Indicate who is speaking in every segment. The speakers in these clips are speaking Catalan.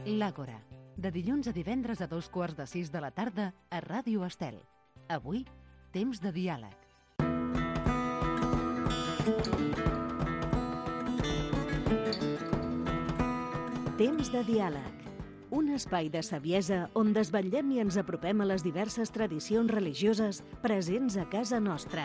Speaker 1: L'Àgora, de dilluns a divendres a 5:15 de la tarda a Ràdio Estel. Avui, temps de diàleg. Temps de diàleg. Un espai de saviesa on desvetllem i ens apropem a les diverses tradicions religioses presents a casa nostra.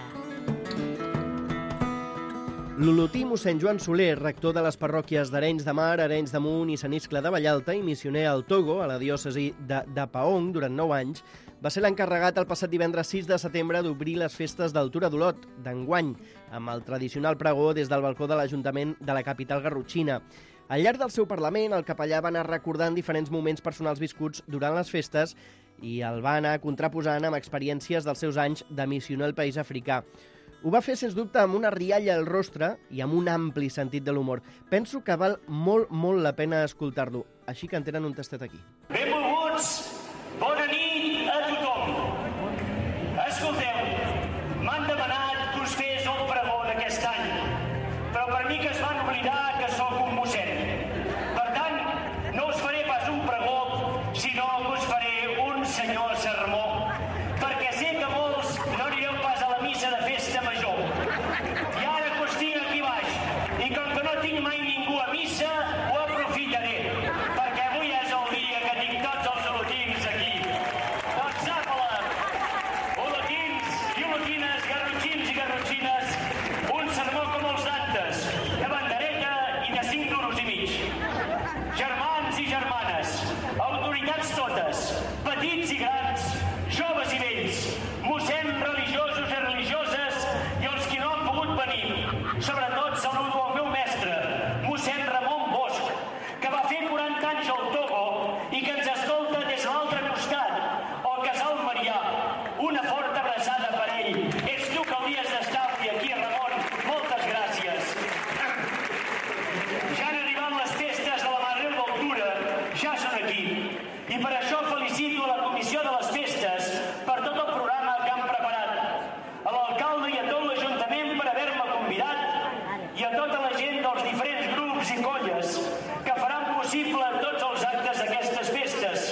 Speaker 2: L'olotí mossèn Joan Soler, rector de les parròquies d'Arenys de Mar, Arenys de Munt i Sant Iscle de Vallalta i missioner al Togo, a la diòcesi de Paong, durant 9 anys, va ser l'encarregat el passat divendres 6 de setembre d'obrir les festes del Tura d'Olot, d'enguany, amb el tradicional pregó des del balcó de l'Ajuntament de la capital garrotxina. Al llarg del seu parlament, el capellà va anar recordant diferents moments personals viscuts durant les festes i el va anar contraposant amb experiències dels seus anys de missioner al país africà. Ho va fer, sens dubte, amb una rialla al rostre i amb un ampli sentit de l'humor. Penso que val molt la pena escoltar-lo, així que en tenen un tastet aquí.
Speaker 3: Benvolguts, bona nit a tothom. Escolteu, m'han demanat que us fes el pregó d'aquest any, però per mi que es van oblidar que sóc un mossèn. Per tant, no us faré pas un pregó, sinó que us faré un senyor sermó, perquè sé que molts no anireu pas a la missa de festa major. I ara que us tinc aquí baix, i com que no tinc mai ningú a missa, ho aprofitaré, perquè avui és el dia que tinc tots els olotins aquí. Doncs apa-la! Olotins i olotines, garrotxins i garrotxines, un sermó com els d'antes, de bandereta i de 5 duros i mig. Germans i germanes, autoritats totes, petits i grans, joves i vells, mossèns religiosos i religioses i els que no han pogut venir. Sobretot saludo al meu mestre, mossèn Ramon Bosch, que va fer 40 anys al Togo i que ens escolta des de l'altre costat, al Casal Marià. Una forta abraçada per ell. Ets tu que hauries d'estar avui aquí, Ramon. Moltes gràcies. Ja han arribat les festes de la Mare Déu del Tura, ja són aquí. I per això felicito a la comissió de les festes per tot el programa que han preparat, a l'alcalde i a tot l'Ajuntament per haver-me convidat i a tota la gent dels diferents grups i colles que faran possible tots els actes d'aquestes festes.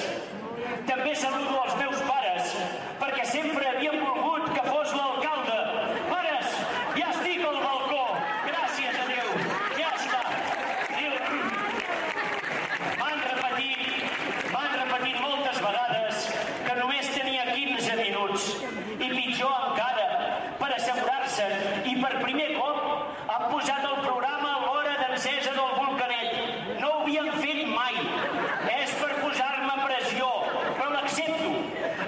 Speaker 3: També saludo els meus pares, perquè sempre havien volgut que fos l'alcalde. Pares, ja estic al balcó. Gràcies a Déu. Ja està. M'han repetit moltes vegades que només tenia 15 minuts. I pitjor encara, per assegurar-se, i per primer cop han posat el programa a l'hora d'encesa del volcanet. No ho havien fet mai. És per posar-me pressió, però l'accepto.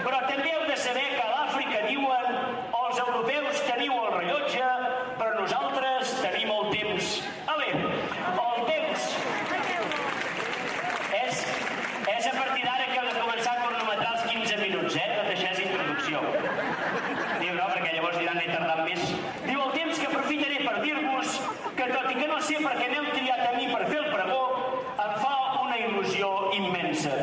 Speaker 3: Però també heu de saber que a l'Àfrica diuen els europeus teniu el rellotge, però nosaltres tenim el temps. Ale, el temps és a partir d'ara que heu de començar a cronometrar els 15 minuts, Tot això és introducció. Diu, no, perquè llavors diran he tardat més. Diu, el temps que aprofitaré per dir-vos que tot i que no sé per què m'heu triat a mi per fer el pregó, em fa una il·lusió immensa.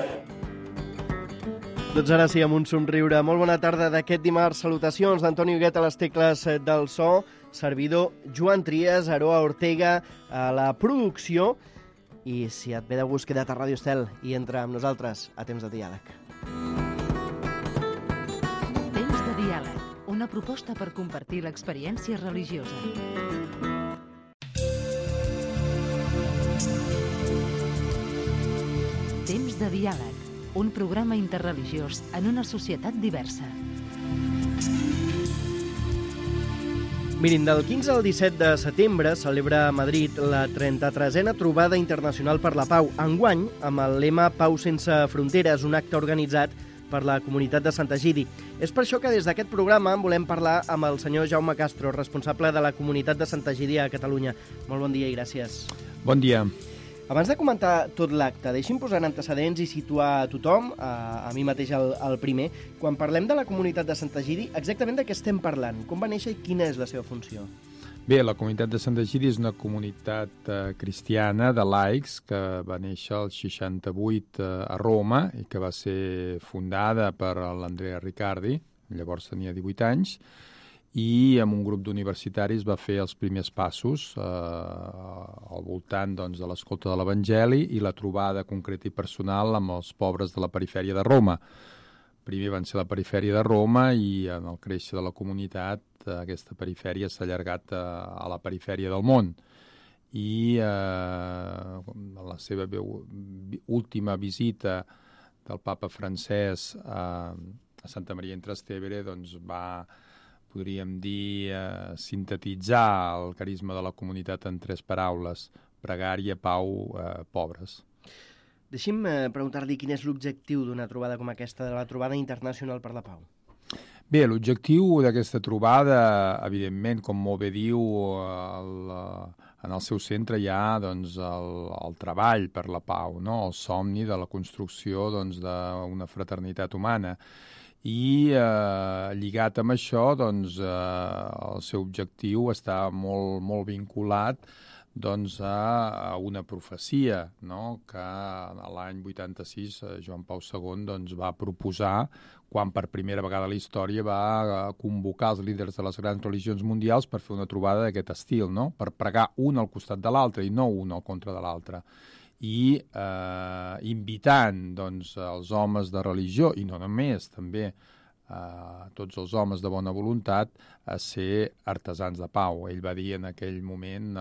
Speaker 2: Doncs ara sí, amb un somriure. Molt bona tarda d'aquest dimarts. Salutacions d'Antoni Huguet a les tecles del so, servidor Joan Trias, Aroa Ortega a la producció. I si et ve de gust, queda't a Ràdio Estel i entra amb nosaltres a Temps de Diàleg.
Speaker 1: Temps de diàleg, una proposta per compartir l'experiència religiosa. Temps de diàleg, un programa interreligiós en una societat diversa.
Speaker 2: Mirin, del 15 al 17 de setembre celebra a Madrid la 33a Trobada Internacional per la Pau, enguany amb el lema Pau sense fronteres, un acte organitzat per la comunitat de Sant Egidi. És per això que des d'aquest programa volem parlar amb el senyor Jaume Castro, responsable de la comunitat de Sant Egidi a Catalunya. Molt bon dia i gràcies.
Speaker 4: Bon dia.
Speaker 2: Abans de comentar tot l'acte, deixi'm posar en antecedents i situar a tothom, a mi mateix el primer. Quan parlem de la comunitat de Sant Egidi, exactament de què estem parlant? Com va néixer i quina és la seva funció?
Speaker 4: Bé, la comunitat de Sant Egidi és una comunitat cristiana de laics que va néixer al 68 a Roma i que va ser fundada per l'Andrea Riccardi, llavors tenia 18 anys, i amb un grup d'universitaris va fer els primers passos al voltant doncs, de l'escolta de l'Evangeli i la trobada concreta i personal amb els pobres de la perifèria de Roma. Primer van ser la perifèria de Roma i en el créixer de la comunitat aquesta perifèria s'ha allargat a la perifèria del món. I la seva última visita del papa francès a Santa Maria in Trastevere doncs va, podríem dir, sintetitzar el carisma de la comunitat en 3 paraules: pregària, pau, pobres.
Speaker 2: Deixi'm preguntar-li quin és l'objectiu d'una trobada com aquesta, de la Trobada Internacional per la Pau.
Speaker 4: Bé, l'objectiu d'aquesta trobada, evidentment, com molt bé diu, en el seu centre hi ha doncs, el treball per la pau, no? El somni de la construcció doncs, d'una fraternitat humana. I lligat amb això, doncs, el seu objectiu està molt, molt vinculat doncs, a una profecia, no? Que l'any 86 Joan Pau II doncs, va proposar, quan per primera vegada a la història va convocar els líders de les grans religions mundials per fer una trobada d'aquest estil, no? Per pregar un al costat de l'altre i no un al contra de l'altre. I invitant doncs, els homes de religió, i no només, també tots els homes de bona voluntat, a ser artesans de pau. Ell va dir en aquell moment,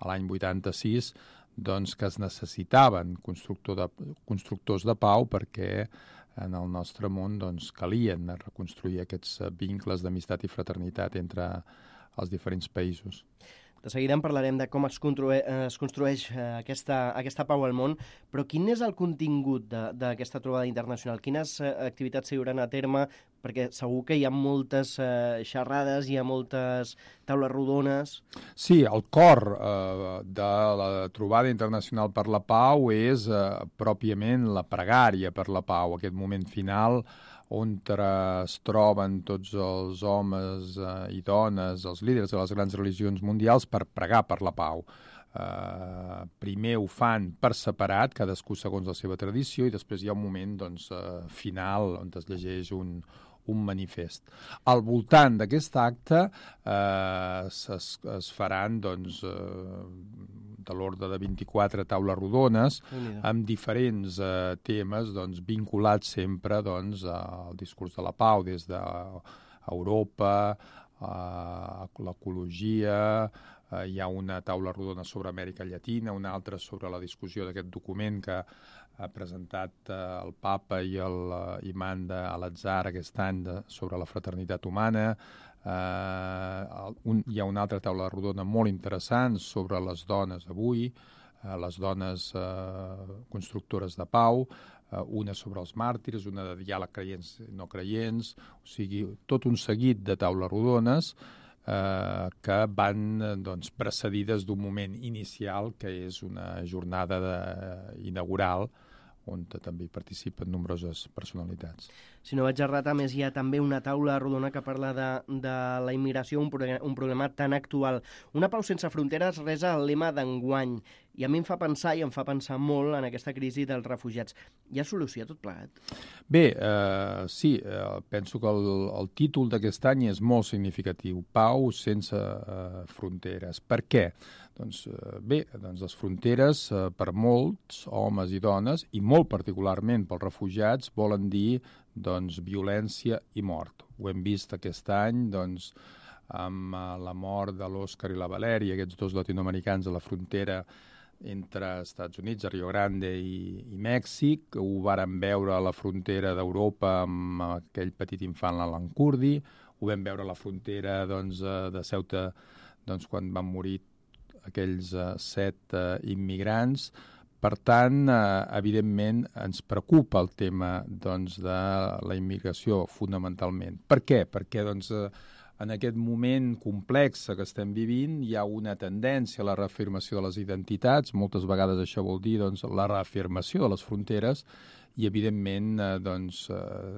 Speaker 4: l'any 86, doncs, que es necessitaven constructors de pau perquè en el nostre món doncs, calien reconstruir aquests vincles d'amistat i fraternitat entre els diferents països.
Speaker 2: De seguida en parlarem de com es construeix aquesta pau al món, però quin és el contingut d'aquesta trobada internacional? Quines activitats s'hi duran a terme? Perquè segur que hi ha moltes xerrades, hi ha moltes taules rodones.
Speaker 4: Sí, el cor de la trobada internacional per la pau és pròpiament la pregària per la pau, aquest moment final on es troben tots els homes i dones, els líders de les grans religions mundials, per pregar per la pau. Primer ho fan per separat, cadascú segons la seva tradició, i després hi ha un moment doncs, final on es llegeix un manifest. Al voltant d'aquest acte es faran doncs, de l'ordre de 24 taules rodones amb diferents temes doncs, vinculats sempre doncs, al discurs de la pau, des d'Europa, l'ecologia, hi ha una taula rodona sobre Amèrica Llatina, una altra sobre la discussió d'aquest document que ha presentat el papa i l'imam d'Al-Azhar aquest any sobre la fraternitat humana. Hi ha una altra taula rodona molt interessant sobre les dones avui, les dones constructores de pau, una sobre els màrtirs, una de diàleg creients i no creients, o sigui, tot un seguit de taules rodones que van doncs, precedides d'un moment inicial que és una jornada inaugural on també hi participen nombroses personalitats.
Speaker 2: Si no vaig errat, a més, hi ha també una taula rodona que parla de la immigració, un problema tan actual. Una pau sense fronteres resa el lema d'enguany, i a mi em fa pensar molt en aquesta crisi dels refugiats. Hi ha solució a tot plegat?
Speaker 4: Bé, sí, penso que el títol d'aquest any és molt significatiu, Pau sense fronteres. Per què? Doncs bé, les fronteres per molts homes i dones, i molt particularment pels refugiats, volen dir doncs, violència i mort. Ho hem vist aquest any doncs, amb la mort de l'Òscar i la Valèria, aquests dos latinoamericans a la frontera entre Estats Units, Rio Grande i Mèxic. Ho vàrem veure a la frontera d'Europa amb aquell petit infant, l'Alan Kurdi. Ho vam veure a la frontera doncs, de Ceuta doncs, quan van morir aquells 7 immigrants. Per tant, evidentment, ens preocupa el tema doncs, de la immigració fonamentalment. Per què? Perquè doncs, en aquest moment complex que estem vivint hi ha una tendència a la reafirmació de les identitats. Moltes vegades això vol dir doncs, la reafirmació de les fronteres i, evidentment, doncs,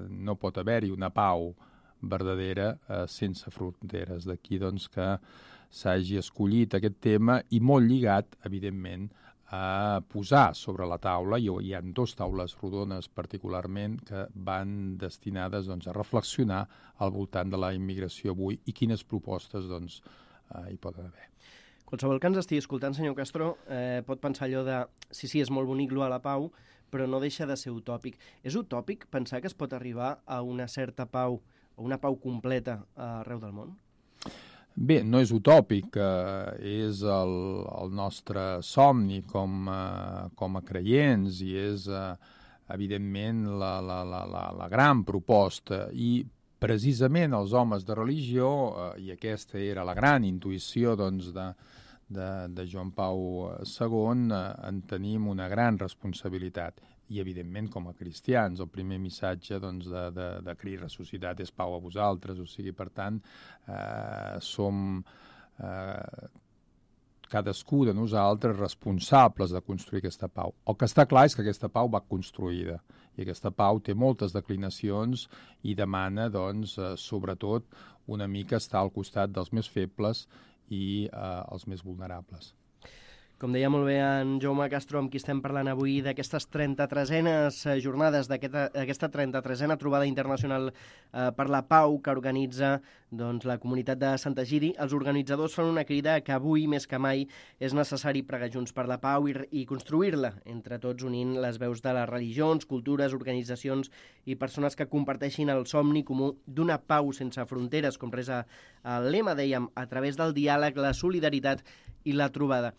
Speaker 4: no pot haver-hi una pau verdadera sense fronteres. D'aquí doncs, que s'hagi escollit aquest tema i molt lligat, evidentment, a posar sobre la taula, hi ha 2 taules rodones particularment que van destinades doncs, a reflexionar al voltant de la immigració avui i quines propostes doncs, hi poden haver.
Speaker 2: Qualsevol que ens estigui escoltant, senyor Castro, pot pensar allò de sí, és molt bonic lo a la pau, però no deixa de ser utòpic. És utòpic pensar que es pot arribar a una certa pau, o una pau completa arreu del món?
Speaker 4: Bé, no és utòpic, és el nostre somni com a creients i és, evidentment, la gran proposta. I precisament els homes de religió, i aquesta era la gran intuïció doncs, de Joan Pau II, en tenim una gran responsabilitat. I, evidentment, com a cristians, el primer missatge doncs, de Crist ressuscitat és pau a vosaltres. O sigui, per tant, som cadascú de nosaltres responsables de construir aquesta pau. El que està clar és que aquesta pau va construïda i aquesta pau té moltes declinacions i demana, doncs, sobretot, una mica estar al costat dels més febles i els més vulnerables.
Speaker 2: Com deia molt bé en Jaume Castro, amb qui estem parlant avui, d'aquestes 33enes jornades, d'aquesta 33a trobada internacional per la pau que organitza doncs, la comunitat de Sant Egidi, els organitzadors fan una crida que avui, més que mai, és necessari pregar junts per la pau i construir-la, entre tots unint les veus de les religions, cultures, organitzacions i persones que comparteixin el somni comú d'una pau sense fronteres, com resa el lema, dèiem, a través del diàleg, la solidaritat i la trobada.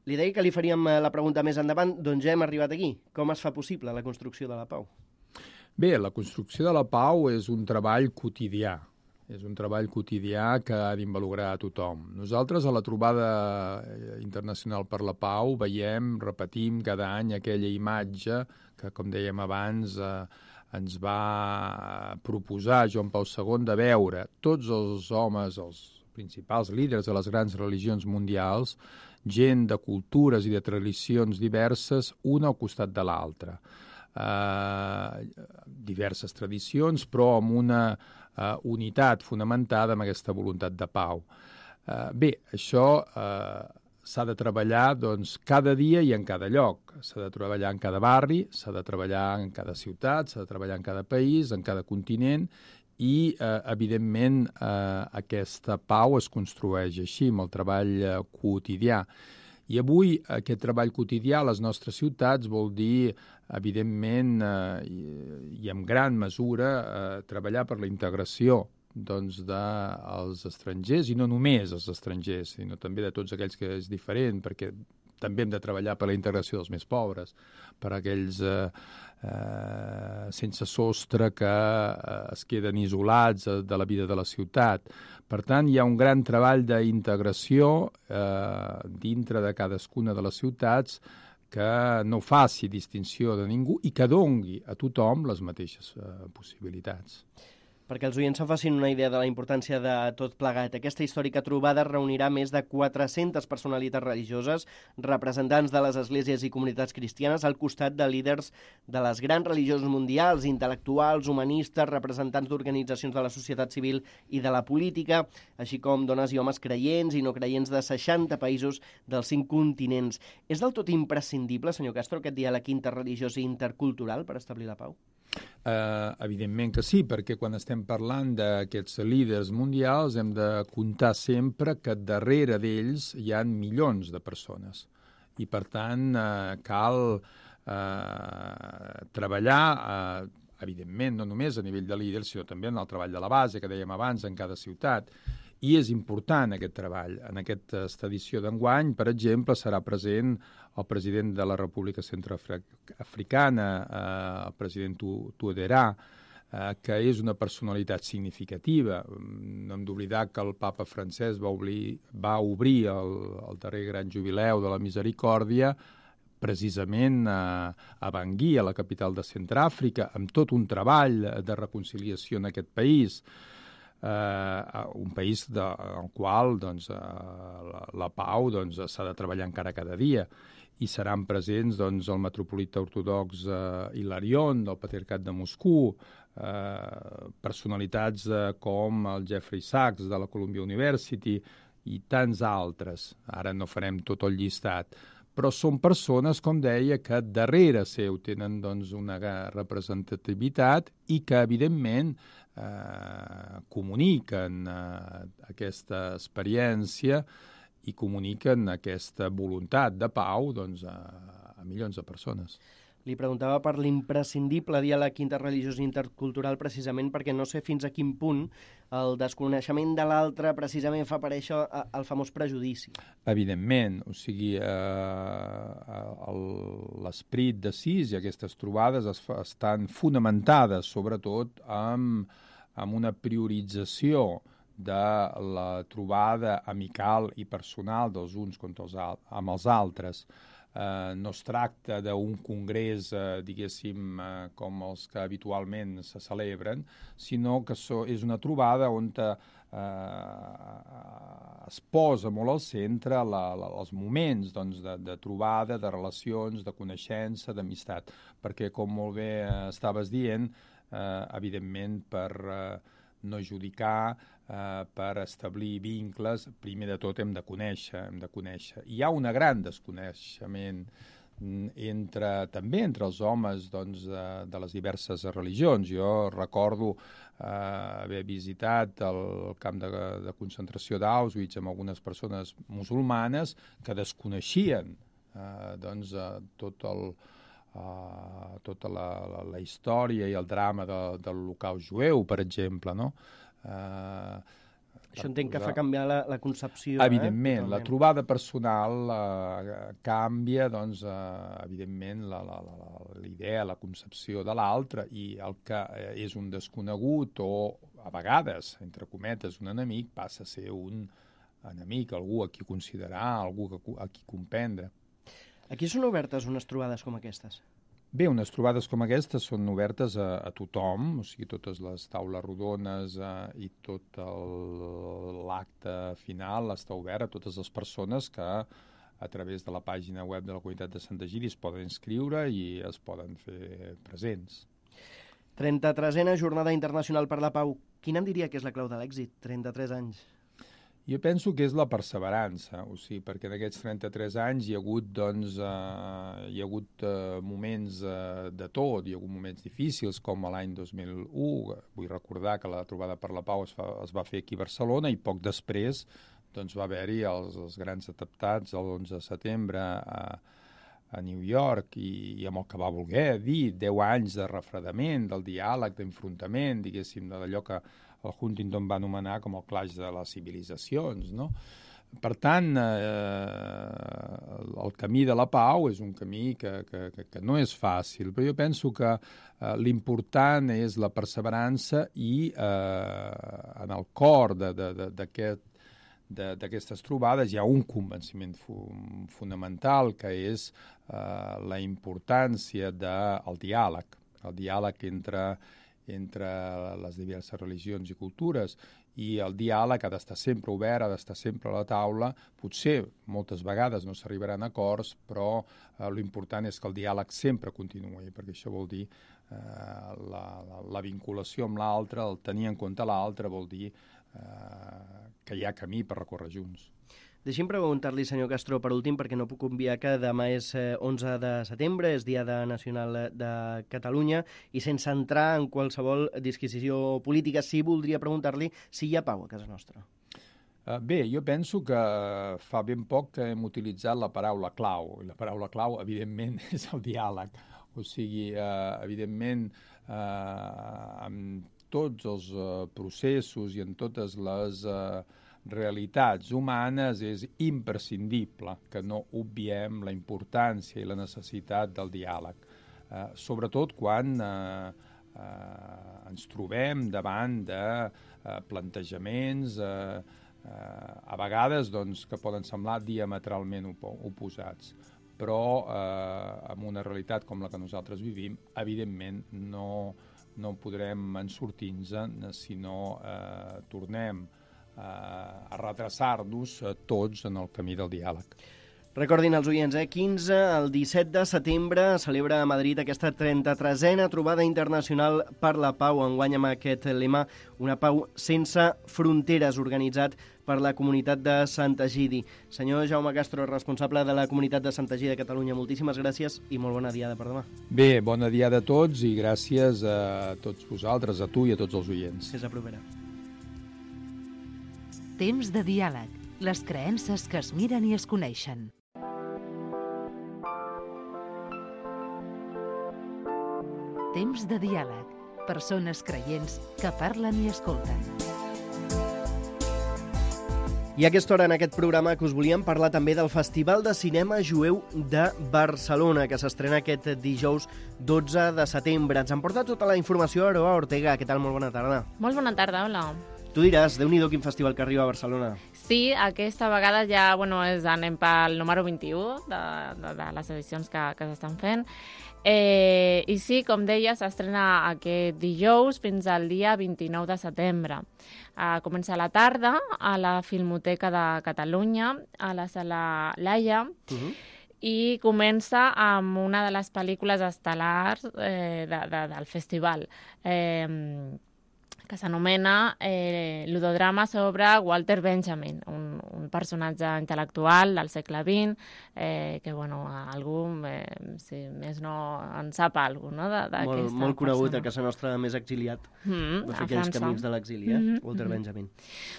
Speaker 2: Li deia que li faríem la pregunta més endavant, doncs ja hem arribat aquí. Com es fa possible la construcció de la pau?
Speaker 4: Bé, la construcció de la pau és un treball quotidià. És un treball quotidià que ha d'involucrar a tothom. Nosaltres a la trobada internacional per la pau repetim cada any aquella imatge que, com dèiem abans, ens va proposar Joan Pau II de veure tots els homes, els principals líders de les grans religions mundials, gent de cultures i de tradicions diverses, una al costat de l'altra. Diverses tradicions, però amb una unitat fonamentada en aquesta voluntat de pau. Bé, això s'ha de treballar doncs, cada dia i en cada lloc. S'ha de treballar en cada barri, s'ha de treballar en cada ciutat, s'ha de treballar en cada país, en cada continent, i, evidentment, aquesta pau es construeix així, amb el treball quotidià. I avui aquest treball quotidià a les nostres ciutats vol dir, evidentment, i en gran mesura, treballar per la integració doncs, dels estrangers, i no només els estrangers, sinó també de tots aquells que és diferent, perquè també hem de treballar per la integració dels més pobres, per aquells sense sostre que es queden isolats de la vida de la ciutat. Per tant, hi ha un gran treball d'integració dintre de cadascuna de les ciutats que no faci distinció de ningú i que dongui a tothom les mateixes possibilitats.
Speaker 2: Perquè els oients se'n facin una idea de la importància de tot plegat. Aquesta històrica trobada reunirà més de 400 personalitats religioses, representants de les esglésies i comunitats cristianes, al costat de líders de les grans religions mundials, intel·lectuals, humanistes, representants d'organitzacions de la societat civil i de la política, així com dones i homes creients i no creients de 60 països dels 5 continents. És del tot imprescindible, senyor Castro, aquest diàleg interreligiós i intercultural per establir la pau?
Speaker 4: Evidentment que sí, perquè quan estem parlant d'aquests líders mundials hem de comptar sempre que darrere d'ells hi ha milions de persones i per tant cal treballar evidentment no només a nivell de líders sinó també en el treball de la base que dèiem abans en cada ciutat. I és important aquest treball. En aquesta edició d'enguany, per exemple, serà present el president de la República Centroafricana, el president Touadéra, que és una personalitat significativa. No hem d'oblidar que el papa francès va obrir el darrer gran jubileu de la Misericòrdia precisament a Bangui, a la capital de Centreàfrica, amb tot un treball de reconciliació en aquest país. Un país en qual doncs, la pau s'ha de treballar encara cada dia i seran presents doncs, el metropolita ortodox Hilarion del Patriarcat de Moscou, personalitats com el Jeffrey Sachs de la Columbia University i tants altres. Ara no farem tot el llistat, però són persones, com deia, que darrere seu tenen doncs, una representativitat i que, evidentment, comuniquen aquesta experiència i comuniquen aquesta voluntat de pau doncs, a milions de persones.
Speaker 2: Li preguntava per l'imprescindible diàleg interreligiós i intercultural precisament perquè no sé fins a quin punt el desconeixement de l'altre precisament fa aparèixer el famós prejudici.
Speaker 4: Evidentment, o sigui, l'esperit d'Assís i aquestes trobades estan fonamentades sobretot amb una priorització de la trobada amical i personal dels uns amb els altres. No es tracta d'un congrés, diguéssim, com els que habitualment se celebren, sinó que és una trobada on es posa molt al centre els moments doncs, de trobada, de relacions, de coneixença, d'amistat. Perquè, com molt bé estaves dient, evidentment, per no judicar, per establir vincles, primer de tot hem de conèixer. Hi ha un gran desconeixement també entre els homes doncs, de les diverses religions. Jo recordo haver visitat el camp de concentració d'Auschwitz amb algunes persones musulmanes que desconeixien doncs, tota la història i el drama de l'Holocaust jueu, per exemple, no?
Speaker 2: Això entenc que fa canviar la concepció.
Speaker 4: Evidentment, la trobada personal canvia, doncs, evidentment, l'idea, la concepció de l'altre, i el que és un desconegut o, a vegades, entre cometes, un enemic, passa a ser un enemic, algú a qui considerar, algú a qui comprendre.
Speaker 2: Aquí són obertes unes trobades com aquestes?
Speaker 4: Bé, unes trobades com aquestes són obertes a tothom, o sigui, totes les taules rodones i tot l'acte final està obert a totes les persones que a través de la pàgina web de la Comunitat de Sant Egidi es poden inscriure i es poden fer presents.
Speaker 2: 33a Jornada Internacional per la Pau. Quina en diria que és la clau de l'èxit? 33 anys.
Speaker 4: Jo penso que és la perseverança, o sigui, perquè en aquests 33 anys hi ha hagut moments de tot, hi ha hagut moments difícils, com l'any 2001, vull recordar que la Trobada per la Pau es va fer aquí a Barcelona i poc després doncs, va haver-hi els grans atemptats l'11 de setembre a New York i amb el que va voler dir 10 anys de refredament, del diàleg, d'enfrontament, diguéssim, d'allò que el Huntington va anomenar com el clash de les civilitzacions, no? Per tant, el camí de la pau és un camí que no és fàcil, però jo penso que l'important és la perseverança i en el cor d'aquestes trobades hi ha un convenciment fonamental, que és la importància del diàleg, el diàleg entre les diverses religions i cultures, i el diàleg ha d'estar sempre obert, ha d'estar sempre a la taula. Potser moltes vegades no s'arribaran a acords, però l'important és que el diàleg sempre continuï, perquè això vol dir la vinculació amb l'altre, el tenir en compte l'altre, vol dir que hi ha camí per recórrer junts.
Speaker 2: Deixi'm preguntar-li, senyor Castro, per últim, perquè no puc obviar que demà és 11 de setembre, és Dia Nacional de Catalunya, i sense entrar en qualsevol disquisició política, sí voldria preguntar-li si hi ha pau a casa nostra.
Speaker 4: Bé, jo penso que fa ben poc que hem utilitzat la paraula clau, i la paraula clau, evidentment, és el diàleg. O sigui, evidentment, amb tots els processos i en totes les realitats humanes és imprescindible que no obviem la importància i la necessitat del diàleg, sobretot quan ens trobem davant de plantejaments a vegades doncs, que poden semblar diametralment oposats, però en una realitat com la que nosaltres vivim, evidentment no podrem sortir-nos si no tornem a redreçar-nos tots en el camí del diàleg.
Speaker 2: Recordin els oients, 15 al 17 de setembre celebra a Madrid aquesta 33a trobada internacional per la pau, enguany amb aquest lema, una pau sense fronteres, organitzat per la comunitat de Sant Egidi. Senyor Jaume Castro, responsable de la comunitat de Sant Egidi de Catalunya, moltíssimes gràcies i molt bona diada per demà.
Speaker 4: Bé, bona diada a tots i gràcies a tots vosaltres, a tu i a tots els oients.
Speaker 2: Fins la propera.
Speaker 1: Temps de diàleg. Les creences que es miren i es coneixen. Temps de diàleg. Persones creients que parlen i escolten.
Speaker 2: I a aquesta hora, en aquest programa, que us volíem parlar també del Festival de Cinema Jueu de Barcelona, que s'estrena aquest dijous 12 de setembre. Ens en porta tota la informació Aroa Ortega. Què tal? Molt bona tarda.
Speaker 5: Molt bona tarda, hola.
Speaker 2: Tu diràs, Déu-n'hi-do quin festival que arriba a Barcelona.
Speaker 5: Sí, aquesta vegada ja anem pel número 21 de les edicions que s'estan fent. I sí, com deia, s'estrena aquest dijous fins al dia 29 de setembre. Comença a la tarda a la Filmoteca de Catalunya, a la Sala Laia, i comença amb una de les pel·lícules estel·lars del festival, que s'anomena Ludodrama sobre Walter Benjamin, un personatge intel·lectual del segle XX, que, bueno, algú, si més no, en sap alguna cosa, no?
Speaker 2: Molt conegut a casa nostra, més exiliat. Va fer aquells camins de l'exili, Walter Benjamin.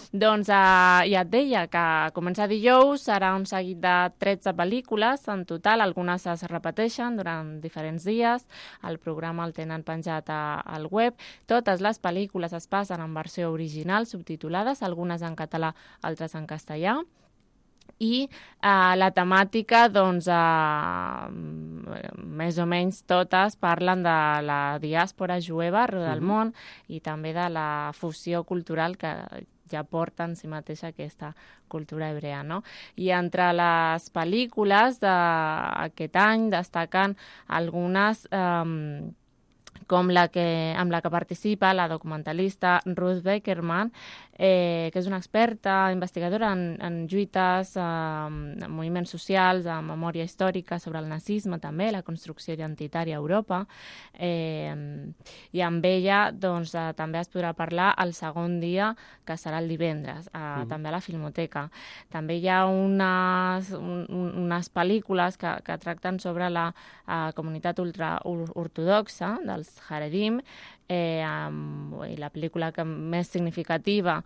Speaker 5: Doncs ja et deia que comença dijous, serà un seguit de 13 pel·lícules en total, algunes es repeteixen durant diferents dies, el programa el tenen penjat al web, totes les pel·lícules es passen en versió original, subtitulades, algunes en català, altres en castellà. I la temàtica, doncs, més o menys totes parlen de la diàspora jueva arreu del món i també de la fusió cultural que ja porta en si mateixa aquesta cultura hebrea, no? I entre les pel·lícules d'aquest any destaquen algunes com amb la que participa la documentalista Ruth Beckerman, que és una experta investigadora en lluites, en moviments socials, en memòria històrica sobre el nazisme també, la construcció identitària a Europa, i amb ella doncs, també es podrà parlar el segon dia, que serà el divendres, també a la Filmoteca. També hi ha unes pel·lícules que tracten sobre la comunitat ultraortodoxa dels Haredim, i la pel·lícula més significativa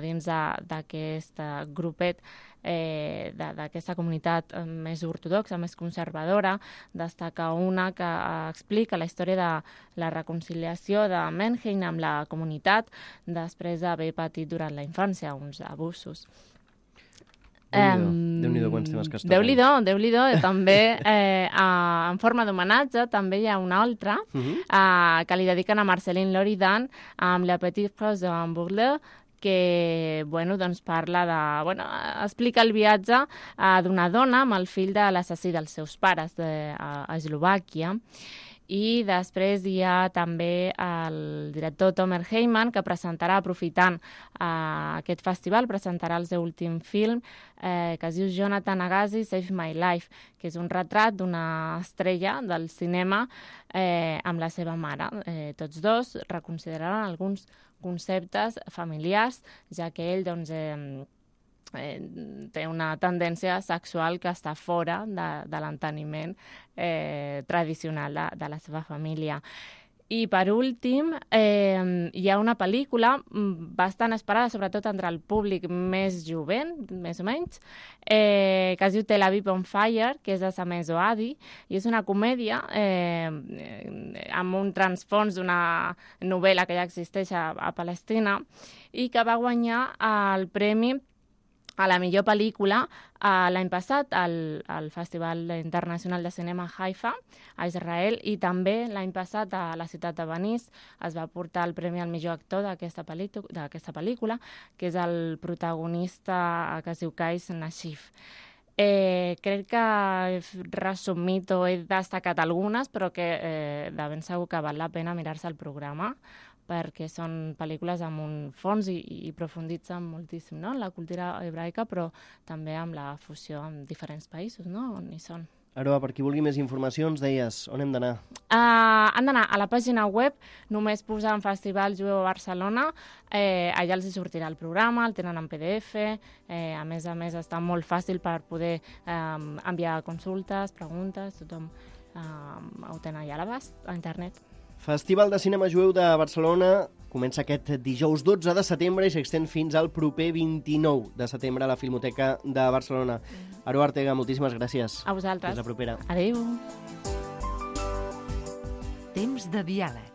Speaker 5: dins d'aquest grupet d'aquesta comunitat més ortodoxa, més conservadora, destaca una que explica la història de la reconciliació de Menheim amb la comunitat després d'haver patit durant la infància uns abusos.
Speaker 2: Déu-n'hi-do quants temes que es toquen.
Speaker 5: Déu-n'hi-do. També, en forma d'homenatge, també hi ha una altra que li dediquen a Marceline Loridan amb La Petite Prose en Bourleux, que doncs parla explica el viatge d'una dona amb el fill de l'assassí dels seus pares a Eslovàquia. I després hi ha també el director Tomer Heyman, que presentarà, aprofitant aquest festival, presentarà el seu últim film, que es diu Jonathan Agassi, Save My Life, que és un retrat d'una estrella del cinema amb la seva mare. Tots dos reconsideraran alguns conceptes familiars, ja que ell té una tendència sexual que està fora de l'enteniment tradicional de la seva família. I, per últim, hi ha una pel·lícula bastant esperada, sobretot entre el públic més jovent, més o menys, que es diu Tel Aviv on Fire, que és de Samezo Adi, i és una comèdia amb un transfons d'una novel·la que ja existeix a Palestina i que va guanyar el premi a la millor pel·lícula l'any passat al Festival Internacional de Cinema Haifa, a Israel, i també l'any passat a la ciutat de Venice es va portar el premi al millor actor d'aquesta pel·lícula, que és el protagonista que es diu Qais Nashif. Crec que he resumit o he destacat algunes, però que de ben segur que val la pena mirar-se el programa, perquè són pel·lícules amb un fons i profunditzen moltíssim, no?, en la cultura hebraica, però també amb la fusió amb diferents països, no?, on hi són.
Speaker 2: Aroa, per qui vulgui més informacions, deies, on hem d'anar?
Speaker 5: Han d'anar a la pàgina web, només posant Festival Jueu a Barcelona, allà els hi sortirà el programa, el tenen en PDF, a més està molt fàcil per poder enviar consultes, preguntes, tothom ho tenen allà a l'abast, a internet.
Speaker 2: Festival de Cinema Jueu de Barcelona comença aquest dijous 12 de setembre i s'extén fins al proper 29 de setembre a la Filmoteca de Barcelona. Aroa Ortega, moltíssimes gràcies.
Speaker 5: A vosaltres.
Speaker 2: Fins la propera.
Speaker 5: Adéu.
Speaker 1: Temps de diàleg.